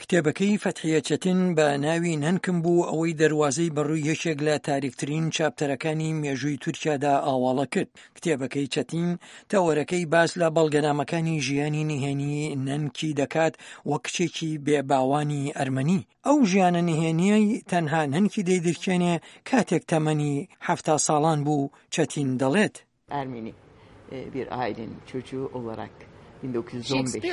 کتێبەکەی فەتحیە چەتین بە ناوی نەنکم بوو ئەوەی دەروازەی بەڕووی یەکێک لە تاریکترین چاپتەرەکانی مێژووی تورکیادا ئاواڵە کرد. کتێبەکەی چەتین تەوەرەکەی باس لە بەڵگەنامەکانی ژیانی نهێنی نەنکی دەکات وەک کچێکی بێ باوانی ئەرمەنی. ئەو ژیانە نهێنییەی تەنها نەنکی دەیدرکێنێ کاتێک تەمەنی 70 ساڵان بوو، چەتین دەڵێت. Ermeni bir ailenin çocuğu olarak 1915'te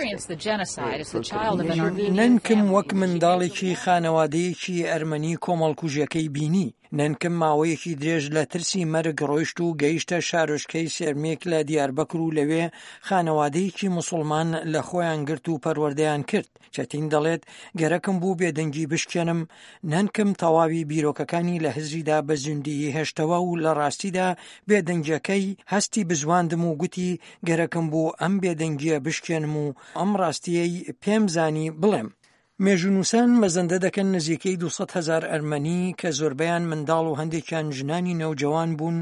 نەنکم وەک منداڵێکی خانەوادەیەکی ئەرمەنی کۆمەڵکوژیەکەی بینی. نەنکم ماوەیەکی درێژ لە ترسی مەرگ ڕۆیشت و گەیشتە شارۆچکەی سێرمێک لە دیاربەکر و لەوێ خانەوادەیەکی موسڵمان لە خۆیان گرت و پەروەردەیان کرد. چەتین دەڵێت، گەرەکم بوو بێدەنگی بشکێنم، نەنکم تەواوی بیرۆکەکانی لە هزریدا بە زیندوویی هێشتەوە و لە ڕاستیدا بێدەنگیەکەی هەستی بزواندم و گوتی گەرەکم بوو ئەم بێدەنگیە بشکێنم و ئەم ڕاستیەی پێم زانی بڵێم. مێژوونووسان مەزەندە دەکەن نزیکەی 200 هەزار ئەرمەنی کە زۆربەیان منداڵ و هەندێکیان ژنانی نەوجەوان بوون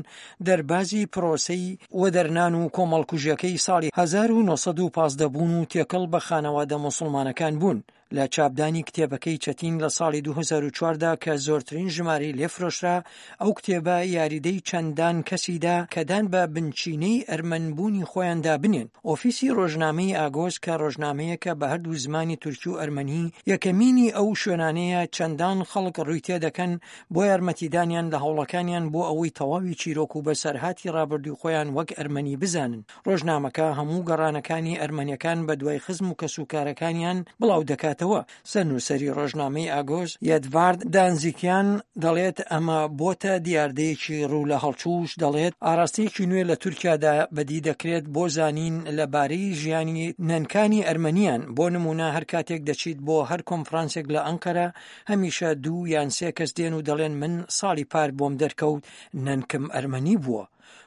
دەربازی پرۆسەی وەدەرنان و کۆمەڵکوژیەکەی ساڵی 1915 بوون و تێکەڵ بە خانەوادە موسڵمانەکان بوون. لە چاپدانی کتێبەکەی چەتین لە ساڵی 2004 دا کە زۆرترین ژمارەی لێ فرۆشرا، ئەو کتێبە یاریدەی چەندان کەسی دا کە دان بە بنچینەی ئەرمەنبوونی خۆیاندا بنێن. ئۆفیسی ڕۆژنامەی ئاگۆس کە ڕۆژنامەیەکە بە هەردوو زمانی تورکی و ئەرمەنی، یەکەمینی ئەو شوێنانەیە چەندان خەڵک ڕووی تێدەکەن بۆ یارمەتیدانیان لە هەوڵەکانیان بۆ ئەوەی تەواوی چیرۆک و بەسەرهاتی ڕابردووی خۆیان وەک ئەرمەنی بزانن. ڕۆژنامەکە هەموو گەڕانەکانی ئەرمەنیەکان بەدوای خزم و کەسوکارەکانیان بڵاو دەکاتەوە. سەرنووسەری ڕۆژنامەی ئاگۆس، یەدڤارد دانزیکیان دەڵێت ئەمە بۆتە دیاردەیەکی ڕوو لە هەڵچووش، دەڵێت ئاراستەیەکی نوێ لە تورکیادا بەدی دەکرێت بۆ زانین لە بارەی ژیانی نەنکانی ئەرمەنیان، بۆ نموونە هەر کاتێک دەچیت بۆ هەر کۆنفرانسێک لە ئەنقەرە هەمیشە دوو یان سێ کەس دێن و دەڵێن من ساڵی پار بۆم دەرکەوت نەنکم ئەرمەنی بووە.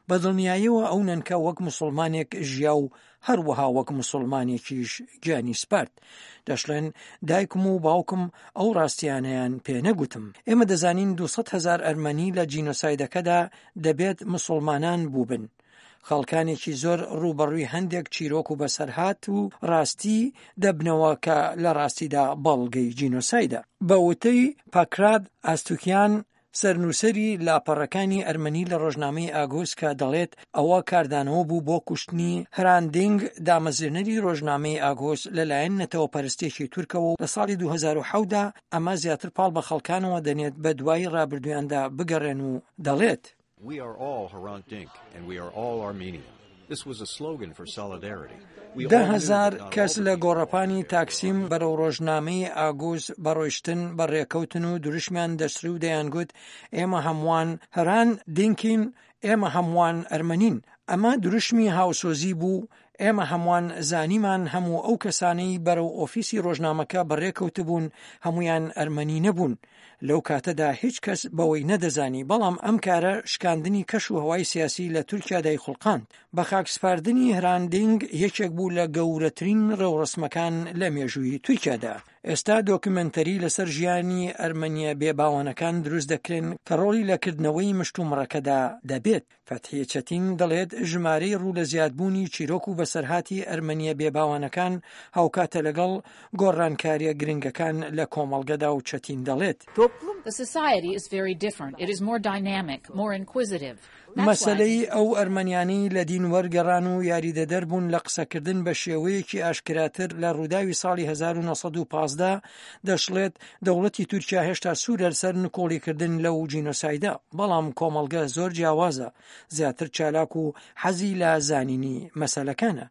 بە دڵنیایەوە ئەو نەنکە وەک موسڵمانێک ژیا و هەروەها وەک موسڵمانێکیش گیانی سپارد. دەشڵێن دایکم و باوکم ئەو ڕاستیانەیان پێ نەگوتم. ئێمە دەزانین 200 هەزار ئەرمەنی لە جینۆسایدەکەدا دەبێت موسڵمانان بووبن. خەڵکانێکی زۆر ڕووبەڕووی هەندێک چیرۆک و بەسەرهات و ڕاستی دەبنەوە کە لە ڕاستیدا بەڵگەی جینۆسایدە. بە وتەی پاکراد ئاستوکیان، سەرنووسەری لاپەڕەکانی ئەرمەنی لە ڕۆژنامەی ئاگۆس کە دەڵێت ئەوە کاردانەوە بوو بۆ کوشتنی هران دینگ دامەزرێنەری ڕۆژنامەی ئاگۆس لەلایەن نەتەوەپەرستێکی تورکەوە و لە ساڵی 2007 دا ئەمە زیاتر پاڵ بە خەڵکانەوە دەنێت بە دوای ڕابردوویاندا بگەڕێن و دەڵێت. We are all Hrant Dink and we are all Armenian. This was a slogan for solidarity. 10,000 کەس لە گۆڕەپانی تاکسیم بەرەو ڕۆژنامەی ئاگوز بەڕۆیشتن بەڕێکەوتن و دروشمیان دەچڕی و دەیانگوت ئێمە هەمووان هران دینکین، ئێمە هەمووان ئەرمەنین. ئەمە دروشمی هاوسۆزی بوو، ئێمە هەمووان زانیمان هەموو ئەو کەسانەی بەرەو ئۆفیسی ڕۆژنامەکە بەڕێکەوتبوون هەموویان ئەرمەنی نەبوون. لەو کاتەدا هیچ کەس بەوەی نەدەزانی، بەڵام ئەم کارە شکاندنی کەش و هەوای سیاسی لە تورکیا دایخوڵقاند. بە خاکسپاردنی هران دینگ یەکێک بوو لە گەورەترین ڕێوڕەسمەکان لە مێژووی تورکیادا. ئێستا دۆکیومێنتەری لەسەر ژیانی ئەرمەنییە بێباوانەکان دروست دەکرێن کە ڕۆڵی لە کردنەوەی مشتومڕەکەدا دەبێت. فەتحیە چەتین دەڵێت، ژمارەی ڕوو لە زیادبوونی چیرۆک و بەسەرهاتی ئەرمەنییە بێباوانەکان هاوکاتە لەگەڵ گۆڕانکارییە گرنگەکان لە کۆمەڵگەدا و چەتین دەڵێت، مەسەلەی ئەو ئەرمەنیانەی لە دین وەرگەڕان و یاریدەدەر بوون لە قسەکردن بە شێوەیەکی ئاشکراتر لە ڕووداوی ساڵی 1915، دەشڵێت، دەوڵەتی تورکیا هێشتا سوورە لەسەر نکۆڵیکردن لەو جینۆسایدە، بەڵام کۆمەڵگە زۆر جیاوازە، زیاتر چالاک و حەزی لە زانینی مەسەلەکانە.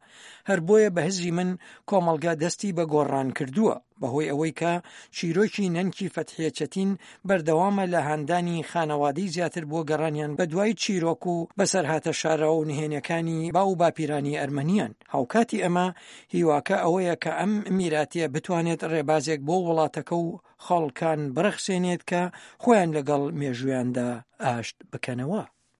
هەر بۆیە بە هزری من کۆمەڵگە دەستی بە گۆڕان کردووە، بەهۆی ئەوەی کە چیرۆکی نەنکی فەتحیە چەتین بەردەوامە لە هاندانی خانەوادەی زیاتر بۆ گەڕانیان بەدوای چیرۆک و بەسەرهاتە شاراوە و نهێنیەکانی باو و باپیرانی ئەرمەنیان. هاوکاتی ئەمە هیواکە ئەوەیە کە ئەم میراتیە بتوانێت ڕێبازێک بۆ وڵاتەکە و خەڵکان بڕەخسێنێت کە خۆیان لەگەڵ مێژوویاندا ئاشت بکەنەوە.